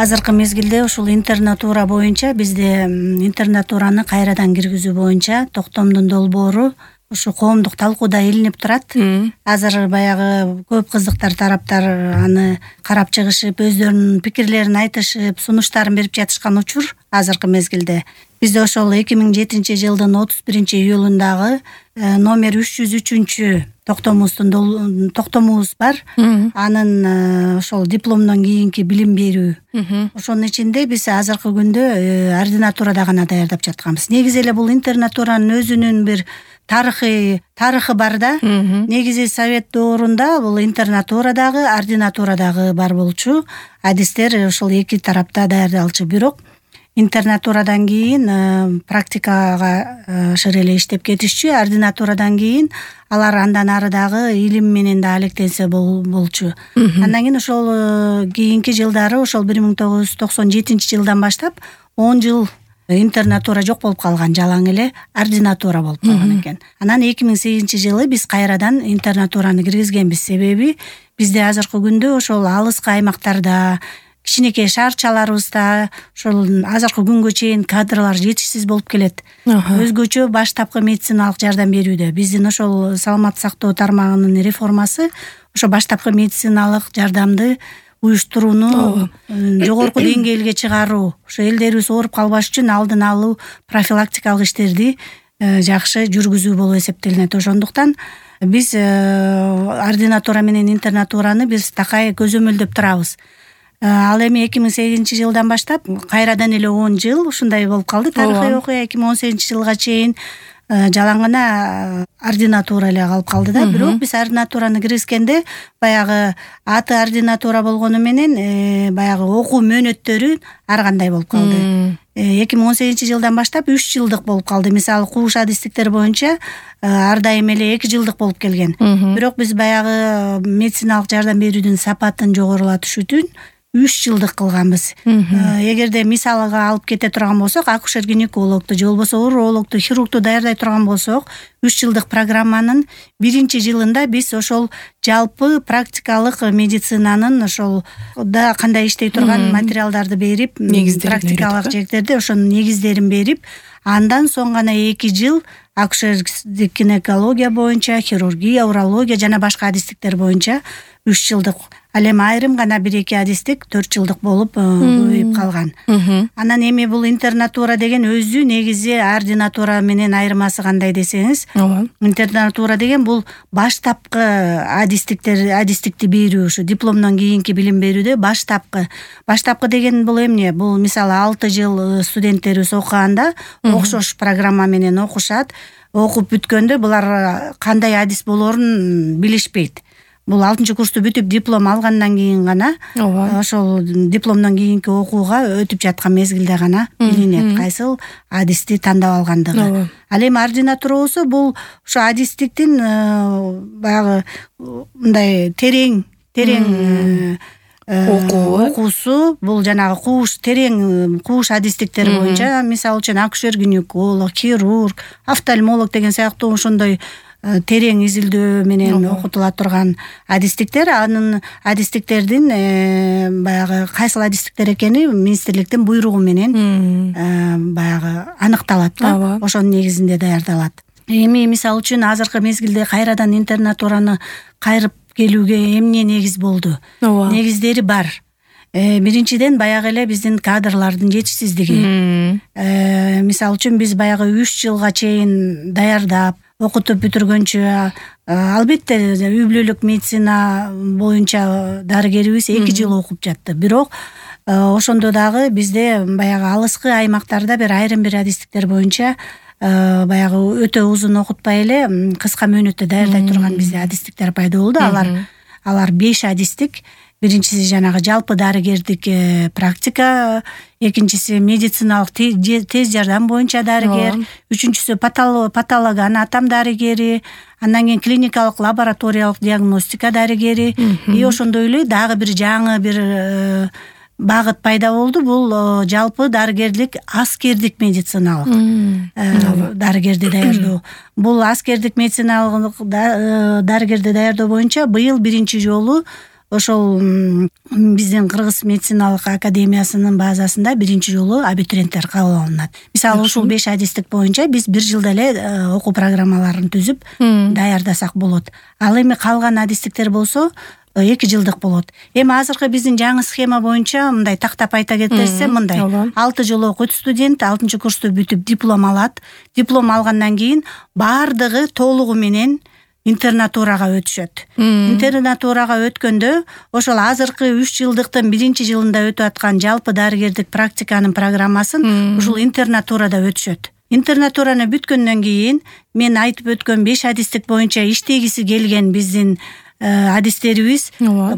Азыркы мезгилде ушул интернатура боюнча бизде интернатураны кайрадан киргизүү боюнча токтомдун долбоору ушу коомдук талкууда илинип турат. Азыр баягы көп кыздыктар тараптар аны карап чыгышып, өздөрүнүн пикирлерин айтышып, сунуштарын берип жатышкан учур азыркы мезгилде. Бизде ошол 2007-жылдын 31-июлундагы номер 303 токтомубуз бар. Анын ошол дипломдон кийинки билим берүү. Ошонун ичинде биз азыркы күндө ординатурада гана даярдап жатканбыз. Негизи эле бул интернатуранын өзүнүн бир тарыхы бар да. Негизи совет доорунда бул интернатурадагы, ординатурадагы бар болчу. Адистер ошол эки тарапта даярдалчу. Бирок интернатурадан кийин практикага шыр эле иштеп кетишчү. Ординатурадан кийин алар андан ары дагы илим менен да алектенсе болчу. Андан кийин ошол кийинки жылдары ошол 1997-жылдан баштап 10 жыл интернатура жок болуп калган, жалаң эле ординатура болуп калган экен. Анан 2008-жылы биз кайрадан интернатураны киргизгенбиз. Себеби бизде азыркы күндө ошол алыскы аймактарда, кичинекей шаарчаларыбызда ошол азыркы күнгө чейин кадрлар жетишсиз болуп келет. Өзгөчө баштапкы медициналык жардам берүүдө биздин ошол саламаттык сактоо тармагынын реформасы ошо баштапкы медициналык жардамды уюштурууну жогорку деңгээлге чыгаруу, ошо элдерибиз ооруп калбаш үчүн алдын алуу, профилактикалык иштерди жакшы жүргүзүү болуп эсептелинет. Ошондуктан биз ординатура менен интернатураны биз такай көзөмөлдөп турабыз. Ал эми 2008-жылдан баштап кайрадан эле 10 жыл ушундай болуп калды. Тарыхый окуя 2018-жылга чейин жалаң гана ординатура эле калып калды да. Бирок биз ординатураны киргизгенде баягы аты ординатура болгону менен баягы окуу мөөнөттөрү ар кандай болуп калды. 2018-жылдан баштап 3 жылдык болуп калды. Мисалы кууш адистиктер боюнча ар дайым эле 2 жылдык болуп келген. Бирок биз баягы медициналык жардам берүүдүн сапатын жогорулатыш үчүн 3 жылдык кылганбыз. Эгерде мисалга алып кете турган болсок, акушер-гинекологду же болбосо урологду, хирургду даярдай турган болсок, 3 жылдык программанын 1-жылында биз ошол жалпы практикалык медицинанын ошол да кандай иштей турган материалдарды берип, практикалык жектерде ошонун негиздерин берип, андан соң гана 2 жыл акушердик гинекология боюнча, хирургия, урология жана башка адистиктер боюнча 3 жылдык. Ал эми айрым гана 1-2 адистик 4 жылдык болуп көбөйүп калган. Анан эми бул интернатура деген өзү негизи ординатура менен айырмасы кандай десеңиз, интернатура деген бул баштапкы адистикти берүү, ушу дипломдон кийинки билим берүүдө баштапкы деген бул эмне? Бул мисалы 6 жыл студенттерибиз окуганда окшош программа менен окушат. Окуп бүткөндө булар кандай адис болоорун билишпейт. Бул 6-курсту бүтүп диплом алгандан кийин гана ошол дипломдон кийинки окууга өтүп жаткан мезгилде гана билинет кайсыл адисти тандап алгандыгы. Ал эми ординатура болсо бул ошо адистиктин баягы мындай терең окуусу, бул жанагы терең кууш адистиктери боюнча, мисалы үчүн акушер-гинеколог, хирург, офтальмолог деген сыяктуу ошондой терең изилдөө менен окутула турган адистиктер, анын адистиктердин баягы кайсыл адистиктер экени министрликтин буйругу менен баягы аныкталат да. Ошонун негизинде даярдалат. Эми мисалы үчүн азыркы мезгилде кайрадан интернатураны кайрып келүүгө эмне негиз болду? Негиздери бар. Биринчиден баягы эле биздин кадрлардын жетишсиздиги. Мисалы үчүн биз баягы 3 жылга чейин даярдап окутуп бүтүргөнчө, албетте үй бүлөлүк медицина боюнча дарыгерибиз 2 жыл окуп жатты. Бирок ошондо дагы бизде баягы алыскы аймактарда айрым бир адистиктер боюнча баягы өтө узун окутпай эле кыска мөөнөттө даярдай турган бизде адистиктер пайда болду. Алар 5 адистик. Биринчиси жанагы жалпы дарыгердик практика, экинчиси медициналык тез жардам боюнча дарыгер, үчүнчүсү патологоанатом дарыгери, андан кийин клиникалык лабораториялык диагностика дарыгери. И ошондой эле дагы бир жаңы бир багыт пайда болду. Бул жалпы дарыгерлик аскердик медициналык дарыгерди даярдоо. Бул аскердик медициналык дарыгерди даярдоо боюнча быйыл биринчи жолу ошол биздин Кыргыз медициналык академиясынын базасында биринчи жолу абитуриенттер кабыл алынат. Мисалы ушул 5 адистик боюнча биз бир жылда эле окуу программаларын түзүп даярдасак болот. Ал эми калган адистиктер болсо 2 жылдык болот. Эми азыркы биздин жаңы схема боюнча мындай тактап айта кетсем, мындай 6 жыл окуйт студент, 6-курсту бүтүп диплом алат. Диплом алгандан кийин бардыгы толугу менен интернатурага өтүшөт. Интернатурага өткөндө ошол азыркы 3 жылдыктын 1-жылында өтүп аткан жалпы дарыгердик практиканын программасын ушул интернатурада өтүшөт. Интернатураны бүткөндөн кийин мен айтып өткөн 5 адистик боюнча иштегиси келген биздин адистерибиз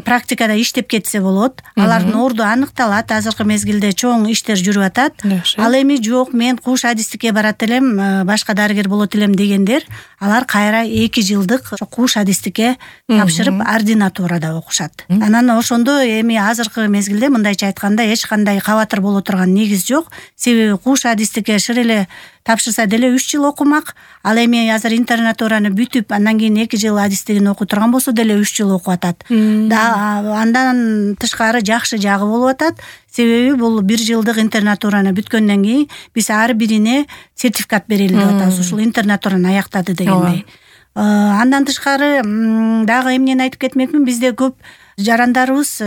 практикада иштеп кетсе болот. Алардын орду аныкталат. Азыркы мезгилде чоң иштер жүрүп атат. Ал эми жок, мен куш адистикке барат элем, башка дарыгер болот элем дегендер, алар кайра 2 жылдык куш адистикке тапшырып ординатурада окушат. Анан ошондо эми азыркы мезгилде мындайча айтканда эч кандай кабатыр боло турган негиз жок. Себеби куш адистикке шыр эле тапшырса деле 3 жыл окумак. Ал эми азыр интернатураны бүтүп, андан кийин 2 жыл адистигин окуй турган болсо деле 3 жыл окуп атат. Андан тышкары жакшы жагы болуп атат. Себеби бул 1 жылдык интернатураны бүткөндөн кийин биз ар бирине сертификат берели деп атабыз. Ушул интернатураны аяктады дегендей. Андан тышкары дагы эмнени айтып кетмекмин, бизде көп жарандарыбыз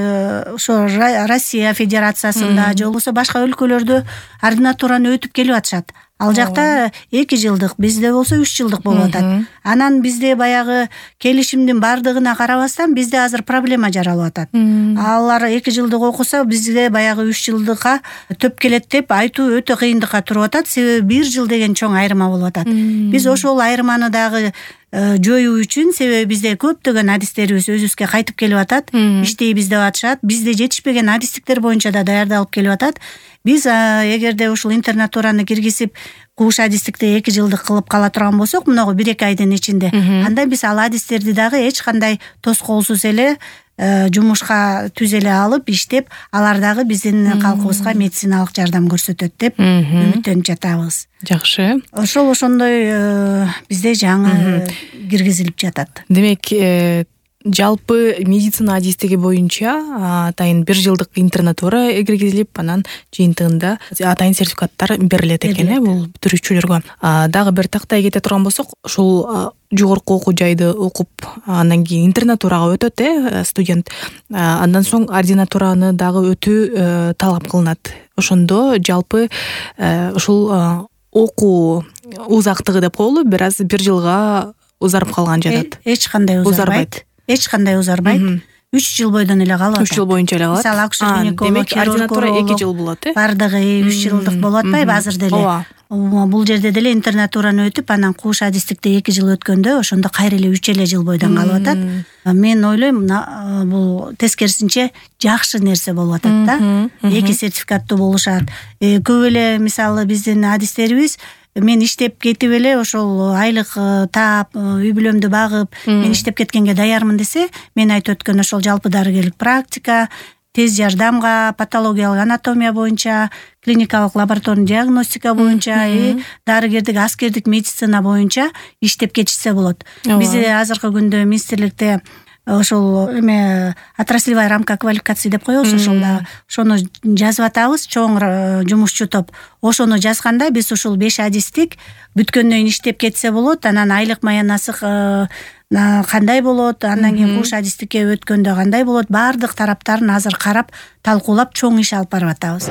ошо Россия Федерациясында же болбосо башка өлкөлөрдө ординатураны өтүп келип атышат. Ал жакта 2 жылдык, бизде болсо 3 жылдык болуп атат. Анан бизде баягы келишимдин бардыгына карабастан бизде азыр проблема жаралып атат. Алар 2 жылдык окуса, бизде баягы 3 жылдыкка төп келет деп айтуу өтө кыйындыкка туруп атат. Себеби 1 жыл деген чоң айырма болуп атат. Биз ошол айырманы дагы жоюу үчүн, себеби бизде көптөгөн адистерибиз өзүбүзгө кайтып келип атат, иштейбиз деп атышат. Бизде жетишпеген адистиктер боюнча да даярдалып келип атат. Биз эгерде ушул интернатураны киргизип, куш адистикти 2 жылдык кылып кала турган болсок, мынагу 1-2 айдын ичинде, анда биз ал адистерди дагы эч кандай тоскоолсуз эле жумушка түзеле алып, иштеп, алар дагы биздин калкыбызга медициналык жардам көрсөтөт деп үмүттөнүп жатабыз. Жакшы. Ошондой бизде жаңы киргизилип жатат. Демек, жалпы медицина адистиги боюнча атайын 1 жылдык интернатура киргизилип, анан жыйынтыгында атайын сертификаттар берилет экен, бул бүтүрүүчүлөргө. Дагы бир тактай кете турган болсок, ушул жогорку окуу жайды окуп, андан кийин интернатурага өтөт студент. Андан соң ординатураны дагы өтүү талап кылынат. Ошондо жалпы ушул окуу узактыгы деп коелу, бир аз 1 жылга узарып калган жатат. Эч кандай узарбайт. 3 жыл бойдон эле калат. 3 жыл боюнча эле калат. Мисалы акушер-гинеколог, ординатура 2 жыл болот, бардыгы 3 жылдык болуп атпайбы азыр деле. Бул жерде деле интернатураны өтүп, анан куш адистикте 2 жыл өткөндө, ошондо кайра эле 3 эле жыл бойдон калып атат. Мен ойлойм, бул тескерисинче жакшы нерсе болуп атат да. 2 сертификаттуу болушат. Көп эле мисалы биздин адистерибиз мен иштеп кетип эле ошол айлык таап, үй бүлөмдү багып, мен иштеп кеткенге даярмын десе, мен айтып өткөн ошол жалпы дарыгерлик практика, тез жардамга, патологиялык анатомия боюнча, клиникалык лабораторный диагностика боюнча, дарыгердик, аскердик медицина боюнча иштеп кетишсе болот. Биз азыркы күндө министрликте ошол отраслевая рамка квалификации деп коебуз, ошону жазып атабыз, чоң жумушчу топ. Ошону жазганда биз ушул 5 адистик бүткөндөн кийин иштеп кетсе болот, анан айлык маянасы кандай болот, андан кийин куш адистикке өткөндө кандай болот, баардык тараптарын азыр карап, талкуулап чоң иш алып барып атабыз.